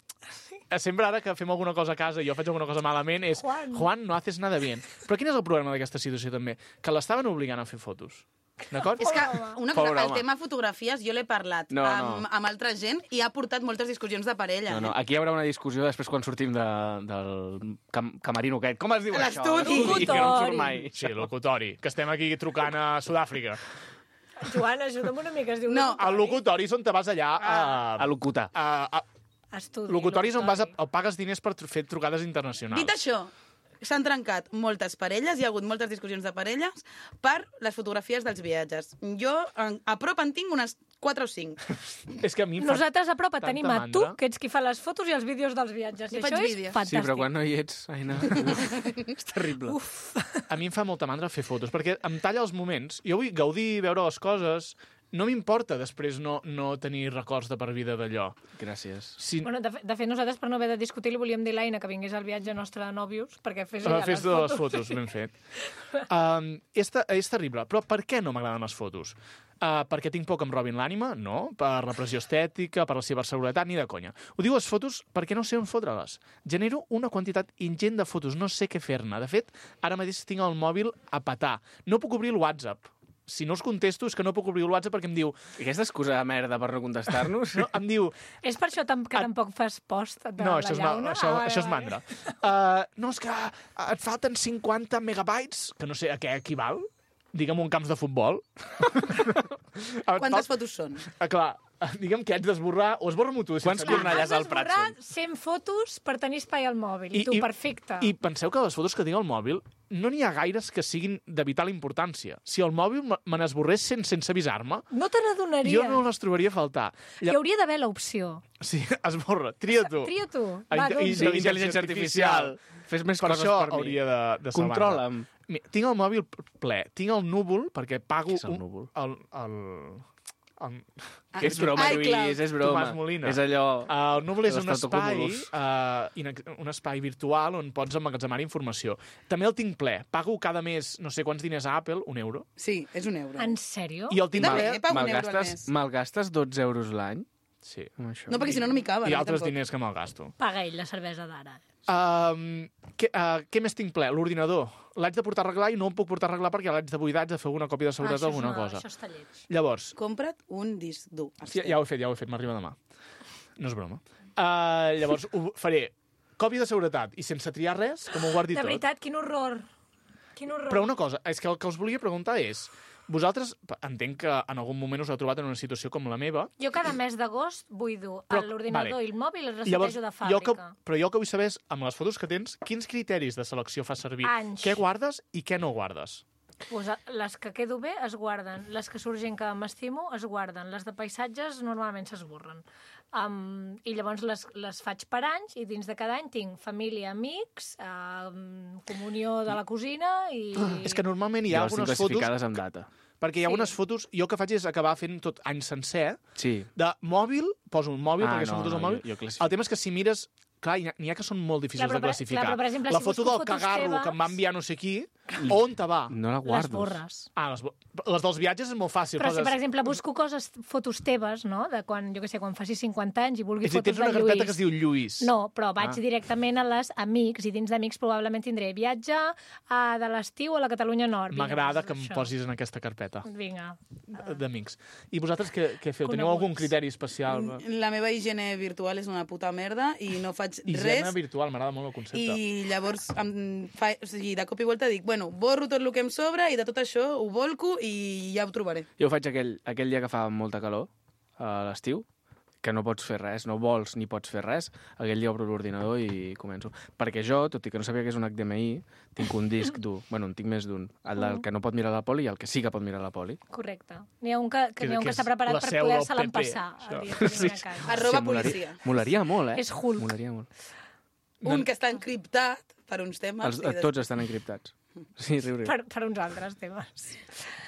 Speaker 4: sempre ara que fem alguna cosa a casa i jo faig alguna cosa malament és
Speaker 1: Juan.
Speaker 4: Juan, no haces nada bien. Però quin és el problema d'aquesta situació també? Que l'estaven obligant a fer fotos. D'acord?
Speaker 3: És que una cosa,
Speaker 2: Pobre
Speaker 3: el
Speaker 2: home.
Speaker 3: tema fotografies jo l'he parlat
Speaker 2: No,
Speaker 3: amb,
Speaker 2: no.
Speaker 3: amb altra gent i ha portat moltes discussions de parella.
Speaker 2: No, no, aquí hi haurà una discussió després quan sortim de, del cam, camarino aquest. Com es diu això?
Speaker 3: L'estudi.
Speaker 2: L'estudi, que no em surt
Speaker 1: Locutori.
Speaker 2: mai.
Speaker 4: Sí, locutori, que estem aquí trucant a Sud-àfrica.
Speaker 1: Joan, ajuda'm una mica, es diu...
Speaker 3: No.
Speaker 4: El locutori és on te vas allà a...
Speaker 2: A locutar.
Speaker 4: a, a
Speaker 1: Estudi,
Speaker 4: locutoris on vas a,
Speaker 1: locutori.
Speaker 4: a pagues diners per tr- fer trucades internacionals.
Speaker 3: Dit això, s'han trencat moltes parelles, hi ha hagut moltes discussions de parelles per les fotografies dels viatges. Jo, en- a prop en tinc unes quatre o cinc.
Speaker 4: És que a mi em fa...
Speaker 1: Nosaltres a prop et
Speaker 4: tanta
Speaker 1: tenim a tu,
Speaker 4: mandra.
Speaker 1: que ets qui fa les fotos i els vídeos dels viatges.
Speaker 3: Jo
Speaker 1: I
Speaker 3: faig
Speaker 1: això és
Speaker 3: vídeos.
Speaker 1: fantàstic.
Speaker 2: Sí, però quan no hi ets, Aina, uf, és terrible.
Speaker 1: Uf.
Speaker 4: A mi em fa molta mandra fer fotos, perquè em talla els moments. Jo vull gaudir, veure les coses. No m'importa després no, no tenir records de per vida d'allò.
Speaker 2: Gràcies.
Speaker 4: Si...
Speaker 1: Bueno, de, fe- de fet, nosaltres, per no haver de discutir, li volíem dir a l'Aina que vingués al viatge nostre de nòvios, perquè fes ella
Speaker 4: Uh, fes
Speaker 1: les
Speaker 4: de les
Speaker 1: fotos.
Speaker 4: fotos, ben fet. Um, és, te, és terrible, però per què no m'agraden les fotos? Uh, perquè tinc por que em robin l'ànima? No. Per la pressió estètica, per la seva seguretat, ni de conya. Ho diu les fotos perquè no sé on fotre-les. Genero una quantitat ingent de fotos, no sé què fer-ne. De fet, ara mateix tinc el mòbil a petar. No puc obrir el WhatsApp. Si no us contesto és que no puc obrir el WhatsApp perquè em diu...
Speaker 2: I aquesta excusa de merda per no contestar-nos?
Speaker 4: No, em diu...
Speaker 1: És per això tam que
Speaker 4: Et-
Speaker 1: tampoc fas post de
Speaker 4: No,
Speaker 1: la
Speaker 4: això és, ma,
Speaker 1: llauna?
Speaker 4: això,
Speaker 1: Ah, vale,
Speaker 4: això és
Speaker 1: vale.
Speaker 4: mandra. Uh, no, és que et falten cinquanta megabytes, que no sé a què equival, digue'm un camps de futbol. Et
Speaker 3: Quantes
Speaker 4: fal-
Speaker 3: fotos són?
Speaker 4: Ah, clar, digue'm que haig d'esborrar, o esborra-m'ho tu.
Speaker 2: Quants
Speaker 4: sense-
Speaker 2: cornellars
Speaker 1: Has
Speaker 2: al Prat
Speaker 1: d'esborrar
Speaker 2: són?
Speaker 1: cent fotos per tenir espai al mòbil. I, tu, perfecte.
Speaker 4: I penseu que les fotos que tinc al mòbil no n'hi ha gaires que siguin de vital importància. Si el mòbil me me n'esborrés sense, sense avisar-me,
Speaker 1: No te n'adonaries.
Speaker 4: jo no les trobaria a faltar.
Speaker 1: Hi hauria d'haver l'opció.
Speaker 4: Sí, esborra, tria tu.
Speaker 1: Tria tu.
Speaker 4: A
Speaker 1: Va,
Speaker 4: inte-
Speaker 1: doncs.
Speaker 4: i-
Speaker 2: Sí, intel·ligència artificial. Fes més
Speaker 4: Per
Speaker 2: coses
Speaker 4: això
Speaker 2: per mi.
Speaker 4: hauria de, de salvar-te.
Speaker 2: Controla'm.
Speaker 4: Mi- Tinc el mòbil ple, tinc el núvol, perquè pago...
Speaker 2: Què és el
Speaker 4: un-
Speaker 2: núvol?
Speaker 4: El, el, el,
Speaker 3: Ah,
Speaker 2: És broma,
Speaker 3: iCloud.
Speaker 2: Lluís, és broma.
Speaker 4: Tomàs Molina.
Speaker 2: És allò...
Speaker 4: el núvol és
Speaker 2: de
Speaker 4: un
Speaker 2: l'Estatocúmulus.
Speaker 4: espai, uh, inex- un espai virtual on pots emmagatzemar informació. També el tinc ple. Pago cada mes no sé quants diners a Apple, un euro,
Speaker 3: Sí, és un euro.
Speaker 1: En sèrio?
Speaker 4: i el tinc
Speaker 3: També,
Speaker 4: ple...
Speaker 3: eh? Pago un euro al
Speaker 2: Malgastes,
Speaker 3: mes.
Speaker 2: malgastes dotze euros l'any?
Speaker 4: Sí.
Speaker 2: amb això?
Speaker 3: No, perquè si no, no m'hi caben.
Speaker 4: I
Speaker 3: eh,
Speaker 4: altres
Speaker 3: tampoc.
Speaker 4: diners que me'l gasto.
Speaker 1: Paga ell la cervesa d'ara.
Speaker 4: Um, què, uh, què més tinc ple? L'ordinador. L'haig de portar a arreglar i no el puc portar a arreglar perquè l'haig de buidar, haig de fer alguna còpia de seguretat o
Speaker 1: Ah, això és
Speaker 4: alguna
Speaker 1: una-
Speaker 4: cosa.
Speaker 1: Això està lleig.
Speaker 4: Llavors,
Speaker 3: Compra't un disc dur.
Speaker 4: sí, ja ho he fet, ja ho he fet, m'arriba demà. No és broma. Uh, llavors, ho faré còpia de seguretat i sense triar res, com ho guardi
Speaker 1: De
Speaker 4: tot.
Speaker 1: veritat, quin horror. Quin horror.
Speaker 4: Però una cosa, és que el que us volia preguntar és... Vosaltres, entenc que en algun moment us heu trobat en una situació com la meva.
Speaker 1: Jo cada mes d'agost buido
Speaker 4: Però,
Speaker 1: l'ordinador
Speaker 4: vale.
Speaker 1: i el mòbil i el
Speaker 4: Llavors,
Speaker 1: resetejo de
Speaker 4: jo que,
Speaker 1: fàbrica.
Speaker 4: però jo el que vull saber és, amb les fotos que tens, quins criteris de selecció fas servir?
Speaker 1: Anys.
Speaker 4: Què guardes i què no guardes?
Speaker 1: Pues, a- les que quedo bé es guarden, les que surt gent que m'estimo es guarden, les de paisatges normalment s'esborren. Um, I llavors les, les faig per anys i dins de cada any tinc família, amics, um, comunió de la cosina i...
Speaker 4: És que normalment hi
Speaker 2: Jo
Speaker 4: ha
Speaker 2: les tinc
Speaker 4: algunes fotos...
Speaker 2: classificades amb data.
Speaker 4: Perquè hi ha
Speaker 1: Sí.
Speaker 4: algunes fotos... Jo el que faig és acabar fent tot any sencer,
Speaker 2: Sí.
Speaker 4: de mòbil, poso un mòbil
Speaker 2: Ah,
Speaker 4: perquè són
Speaker 2: no,
Speaker 4: fotos al
Speaker 2: no,
Speaker 4: mòbil.
Speaker 2: jo- jo classifico.
Speaker 4: El tema és que si mires... Clar, n'hi ha, n'hi ha que són molt difícils
Speaker 1: Clar, però
Speaker 4: de
Speaker 1: per-
Speaker 4: classificar.
Speaker 1: clar, però per exemple,
Speaker 4: la
Speaker 1: si
Speaker 4: foto
Speaker 1: busco
Speaker 4: del
Speaker 1: fotos
Speaker 4: cagarro
Speaker 1: teves-
Speaker 4: que em va enviar no sé qui, on te va?
Speaker 2: No la
Speaker 1: Les
Speaker 2: guardo.
Speaker 1: borres.
Speaker 4: Ah, les, bo- les dels viatges és molt fàcil.
Speaker 1: Però si,
Speaker 4: poses-
Speaker 1: per exemple, busco coses, fotos teves, no?, de quan, jo què sé, quan facis cinquanta anys i vulgui
Speaker 4: És a dir,
Speaker 1: fotos
Speaker 4: tens una
Speaker 1: de
Speaker 4: carpeta
Speaker 1: Lluís.
Speaker 4: que es diu Lluís.
Speaker 1: No, però vaig
Speaker 2: Ah.
Speaker 1: directament a les amics, i dins d'amics probablement tindré viatge a, de l'estiu a la Catalunya Nord. Vinga,
Speaker 4: M'agrada
Speaker 1: doncs
Speaker 4: que em
Speaker 1: això.
Speaker 4: posis en aquesta carpeta
Speaker 1: Vinga.
Speaker 4: d'amics. I vosaltres què, què feu? Teniu
Speaker 1: Coneguts.
Speaker 4: algun criteri especial?
Speaker 3: La meva higiene virtual és una puta merda i no faig
Speaker 4: Higiene
Speaker 3: res.
Speaker 4: virtual, m'agrada molt el concepte.
Speaker 3: I llavors, em fa, o sigui, de cop i volta dic, bueno, borro tot el que em sobra i de tot això ho volco i ja ho trobaré.
Speaker 2: Jo ho faig aquell, aquell dia que fa molta calor, a l'estiu, que no pots fer res, no vols ni pots fer res, aquell dia obro l'ordinador i començo. Perquè jo, tot i que no sabia que és un H D M I, tinc un disc dur. Bueno, en tinc més d'un. El del que no pot mirar la poli i el que sí que pot mirar la poli.
Speaker 1: Correcte. N'hi ha un que, que,
Speaker 4: Que-
Speaker 1: n'hi ha un
Speaker 4: que
Speaker 1: que s'ha
Speaker 4: és
Speaker 1: preparat
Speaker 4: la
Speaker 1: per
Speaker 4: seu del
Speaker 1: poder-se
Speaker 4: P P,
Speaker 1: l'empassar
Speaker 4: això.
Speaker 1: el dia que vingui a casa.
Speaker 3: Arroba
Speaker 2: molaria,
Speaker 3: policia.
Speaker 2: molaria molt, eh?
Speaker 1: És Hulk.
Speaker 2: Molaria molt.
Speaker 3: Un que està encriptat per uns temes.
Speaker 2: Els,
Speaker 3: i des-
Speaker 2: tots estan encriptats. Sí, riu, riu.
Speaker 1: per, per uns altres temes.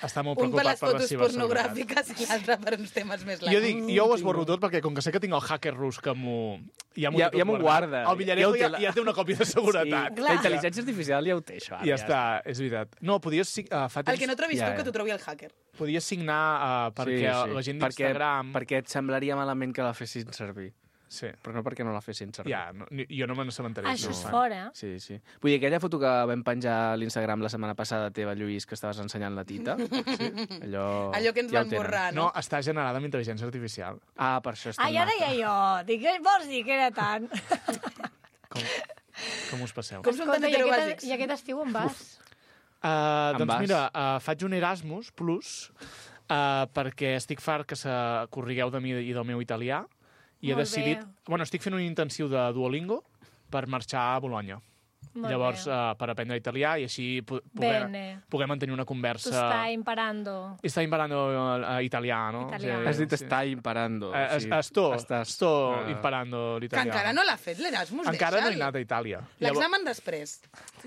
Speaker 4: Està molt
Speaker 3: Un per
Speaker 4: preocupat
Speaker 3: les
Speaker 4: per la
Speaker 3: fotos
Speaker 4: ciberseguretat.
Speaker 3: pornogràfiques i l'altre per uns temes més
Speaker 4: Jo,
Speaker 3: llargs.
Speaker 4: dic, jo ho esborro tot perquè com que sé que tinc el hacker rus que m'ho... Ja m'ho
Speaker 2: Ja-
Speaker 4: té tot
Speaker 2: ja m'ho guarda.
Speaker 4: El Villarejo
Speaker 2: Ja ho té
Speaker 4: ja,
Speaker 2: la-
Speaker 4: ja té una còpia de seguretat.
Speaker 2: Sí, la intel·ligència artificial ja ho té, això. Ara,
Speaker 4: Ja està, és veritat. No, podies, sig- uh, fa
Speaker 3: El
Speaker 4: temps,
Speaker 3: que no trobis
Speaker 2: Ja,
Speaker 3: tu,
Speaker 2: ja.
Speaker 3: que t'ho trobi el hacker.
Speaker 4: podies signar uh, perquè la gent d'Instagram...
Speaker 2: Perquè, perquè et semblaria malament que la fessin servir.
Speaker 4: Sí.
Speaker 2: Però no perquè no la fessin servir.
Speaker 4: Ja, no, ni- jo no me n'assabentaré.
Speaker 1: Això
Speaker 4: no
Speaker 1: és
Speaker 4: ho fan.
Speaker 1: fora.
Speaker 2: Sí, sí. Vull dir, aquella foto que vam penjar a l'Instagram la setmana passada teva, Lluís, que estaves ensenyant la tita, sí? allò...
Speaker 3: Allò que ens
Speaker 2: ja
Speaker 3: van
Speaker 2: ho tenen.
Speaker 3: borrar,
Speaker 4: No,
Speaker 3: no?
Speaker 4: està generada amb intel·ligència artificial.
Speaker 2: Ah, per això és tan
Speaker 1: Ah, ja
Speaker 2: maca.
Speaker 1: deia jo. Dic, què vols dir que era tant?
Speaker 4: Com, com us passeu?
Speaker 3: Com són tan
Speaker 1: Escolta, i aquest,
Speaker 3: heterobàsics?
Speaker 1: i aquest estiu on vas?
Speaker 4: Uh,
Speaker 2: Em
Speaker 4: doncs
Speaker 2: vas?
Speaker 4: mira, uh, faig un Erasmus Plus uh, perquè estic fart que se corrigueu de mi i del meu italià i he
Speaker 1: Molt
Speaker 4: decidit...
Speaker 1: bé.
Speaker 4: Bueno, estic fent un intensiu de Duolingo per marxar a Bologna.
Speaker 1: Molt
Speaker 4: Llavors,
Speaker 1: bé.
Speaker 4: uh, per aprendre italià i així pu poder,
Speaker 1: Bene.
Speaker 4: poder mantenir una
Speaker 1: Tu
Speaker 4: conversa...
Speaker 1: stai imparando.
Speaker 4: Sta imparando uh, italiano.
Speaker 1: Italiano.
Speaker 2: Has dit està imparando.
Speaker 4: Eh,
Speaker 2: o
Speaker 4: es,
Speaker 2: sigui,
Speaker 4: sto,
Speaker 2: estàs-
Speaker 4: sto
Speaker 2: Ah.
Speaker 4: imparando
Speaker 3: Que
Speaker 4: l'italiano.
Speaker 3: encara no l'ha fet l'Erasmus,
Speaker 4: Encara no he
Speaker 3: deixa'l.
Speaker 4: anat a Itàlia. Llavors,
Speaker 3: L'examen després.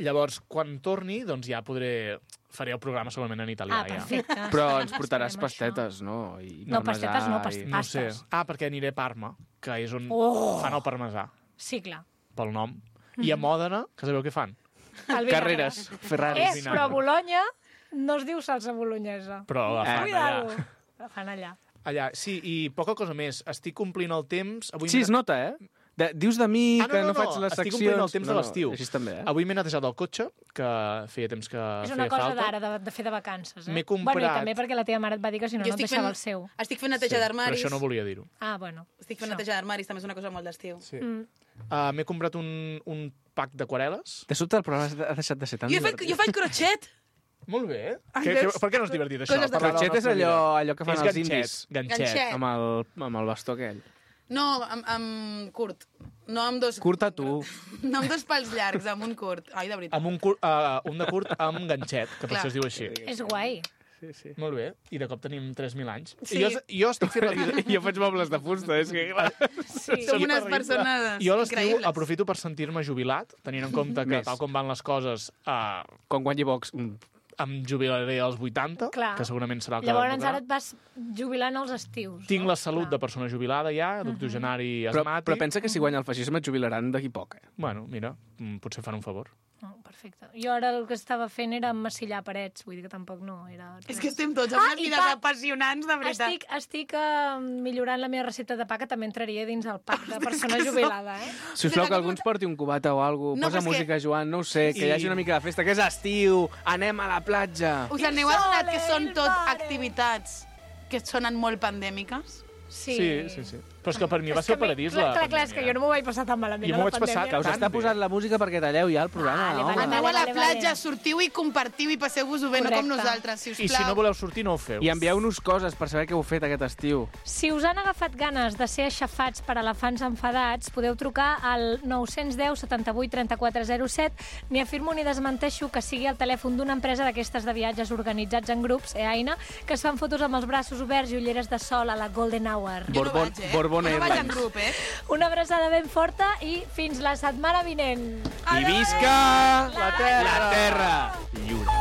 Speaker 4: llavors, quan torni, doncs ja podré... Faré el programa solament en italià.
Speaker 1: Ah,
Speaker 4: ja.
Speaker 1: perfecte.
Speaker 2: Però ens portaràs
Speaker 1: Esperem
Speaker 2: pastetes, no? I
Speaker 1: No,
Speaker 2: parmesà
Speaker 1: pastetes no,
Speaker 2: i-
Speaker 1: pastes.
Speaker 4: No sé.
Speaker 1: Pastes.
Speaker 4: Ah, perquè aniré a Parma, que és on
Speaker 1: Oh!
Speaker 4: fan el parmesà,
Speaker 1: això. Sí, clar.
Speaker 4: pel nom. I a Mòdena, que sabeu què fan?
Speaker 1: El
Speaker 2: Carreres,
Speaker 1: vinagre.
Speaker 2: Ferraris.
Speaker 1: Eh, però a Bologna no es diu salsa bolognesa.
Speaker 4: Però la fan
Speaker 1: Cuidado.
Speaker 4: allà.
Speaker 1: La fan allà.
Speaker 4: Allà, sí, i poca cosa més. Estic complint el temps... Avui
Speaker 2: Sí,
Speaker 4: m'he-
Speaker 2: es nota, eh? De, dius de mi
Speaker 4: Ah, no,
Speaker 2: que
Speaker 4: no,
Speaker 2: no,
Speaker 4: no,
Speaker 2: faig les
Speaker 4: estic
Speaker 2: seccions...
Speaker 4: complint el temps
Speaker 2: no,
Speaker 4: de l'estiu.
Speaker 2: No, així també, eh?
Speaker 4: Avui m'he netejat el cotxe, que feia temps que
Speaker 1: És
Speaker 4: feia
Speaker 1: una cosa
Speaker 4: falta.
Speaker 1: d'ara, de, de fer de vacances. Eh?
Speaker 4: M'he
Speaker 1: Bueno, i
Speaker 4: comprat-
Speaker 1: també perquè la teva mare et va dir que si no,
Speaker 3: Jo
Speaker 1: no et
Speaker 3: estic
Speaker 1: deixava
Speaker 3: fent-
Speaker 1: el seu.
Speaker 3: Estic fent neteja
Speaker 4: Però
Speaker 3: d'armaris.
Speaker 4: això no volia dir-ho.
Speaker 1: Ah, bueno.
Speaker 3: Estic fent
Speaker 1: Això.
Speaker 3: neteja d'armaris, també és una cosa molt d'estiu.
Speaker 4: Sí.
Speaker 1: Mm.
Speaker 4: Uh, m'he comprat un, un pack d'aquarel·les.
Speaker 2: De sobte el programa ha deixat de ser tan
Speaker 3: Jo, he fet,
Speaker 2: divertit.
Speaker 3: jo faig crotxet.
Speaker 4: Molt bé.
Speaker 3: Ai,
Speaker 4: Que, que,
Speaker 3: veus?
Speaker 4: per què no és divertit, això?
Speaker 3: Coses de-
Speaker 4: Parlar de la
Speaker 2: Crotxet és
Speaker 4: nostra vida.
Speaker 2: allò, allò que fan
Speaker 4: És
Speaker 2: els
Speaker 4: ganxet,
Speaker 2: indis.
Speaker 4: Ganxet.
Speaker 3: Ganxet.
Speaker 2: Amb el, amb el bastó aquell.
Speaker 3: No, amb, amb curt. No amb dos...
Speaker 2: Curta tu.
Speaker 3: No amb dos pals llargs, amb un curt. Ai, de veritat.
Speaker 4: Amb un, cur, uh, un de curt amb ganxet, que per
Speaker 3: Clar.
Speaker 4: això es diu així.
Speaker 1: És guai.
Speaker 2: Sí, sí.
Speaker 4: Molt bé. I de cop tenim tres mil anys.
Speaker 3: Sí.
Speaker 4: I jo, jo estic fent la vida...
Speaker 2: Jo faig mobles de fusta, és que clar.
Speaker 1: Sí.
Speaker 3: Som unes
Speaker 4: terrible.
Speaker 3: persones
Speaker 4: Jo a l'estiu
Speaker 3: increïbles.
Speaker 4: aprofito per sentir-me jubilat, tenint en compte que
Speaker 2: Més.
Speaker 4: tal com van les coses, uh,
Speaker 2: Quan guanyi Vox... mm,
Speaker 4: em jubilaré als vuitanta,
Speaker 1: Clar.
Speaker 4: que segurament serà el que
Speaker 1: Llavors
Speaker 4: tocarà.
Speaker 1: ara et vas jubilant als estius.
Speaker 4: Tinc
Speaker 1: no?
Speaker 4: la salut
Speaker 1: Clar.
Speaker 4: de persona jubilada ja, doctogenari
Speaker 2: Però,
Speaker 4: asmàtic.
Speaker 2: però pensa que si guanya el feixisme et jubilaran d'aquí poc, eh?
Speaker 4: Bueno, mira, mm, potser fan un favor.
Speaker 1: Oh, perfecte. Jo ara el que estava fent era massillar parets, vull dir que tampoc no era...
Speaker 3: És
Speaker 1: res.
Speaker 3: que estem tots amb
Speaker 1: Ah,
Speaker 3: unes
Speaker 1: i
Speaker 3: vides
Speaker 1: pa-
Speaker 3: apassionants, de veritat.
Speaker 1: Estic, estic uh, millorant la meva recepta de pa, que també entraria dins el pack de persona jubilada, eh?
Speaker 2: Si us plau, que algú ens porti un cubata o alguna
Speaker 3: No,
Speaker 2: cosa,
Speaker 3: però
Speaker 2: posa
Speaker 3: és que-
Speaker 2: música, Joan, no ho sé, que
Speaker 4: I-
Speaker 2: hi hagi una mica de festa, que és estiu, anem a la platja.
Speaker 3: Us aneu
Speaker 1: Il
Speaker 3: adonat que
Speaker 1: sole,
Speaker 3: són
Speaker 1: il
Speaker 3: tot
Speaker 1: mare.
Speaker 3: activitats que sonen molt pandèmiques?
Speaker 1: Sí,
Speaker 4: Sí, sí, sí. Però és que per mi va
Speaker 1: És
Speaker 4: ser
Speaker 1: que
Speaker 4: el paradís
Speaker 1: clar,
Speaker 4: la
Speaker 1: clar, clar, és que jo no m'ho vaig passar tan malament
Speaker 4: Jo
Speaker 1: a
Speaker 4: m'ho
Speaker 1: la
Speaker 4: vaig passar
Speaker 1: pandèmia.
Speaker 2: Que us
Speaker 4: Tan
Speaker 2: està
Speaker 4: bé.
Speaker 2: posant la música perquè talleu ja el programa,
Speaker 1: Vale,
Speaker 2: home.
Speaker 1: vale,
Speaker 3: Aneu a la
Speaker 1: vale,
Speaker 3: platja,
Speaker 1: vale.
Speaker 3: sortiu i compartiu i passeu-vos-ho bé, no com
Speaker 1: Correcte.
Speaker 3: nosaltres, si us
Speaker 4: I
Speaker 3: plau.
Speaker 4: si no voleu sortir, no ho feu.
Speaker 2: I envieu-nos coses per saber què heu fet aquest estiu.
Speaker 1: Si us han agafat ganes de ser aixafats per elefants enfadats, podeu trucar al nou deu, setanta-vuit, trenta-quatre zero set. Ni afirmo ni desmenteixo que sigui el telèfon d'una empresa d'aquestes de viatges organitzats en grups, EAINA, que es fan fotos amb els braços oberts i ulleres de sol a la Golden Hour.
Speaker 3: Jo no
Speaker 2: Bourbon-
Speaker 3: vaig, eh?
Speaker 2: Bourbon
Speaker 3: Jo no vaig en
Speaker 2: Airlines.
Speaker 3: grup, eh?
Speaker 1: Una abraçada ben forta i fins la setmana vinent.
Speaker 2: I visca la terra! La terra! Lliure.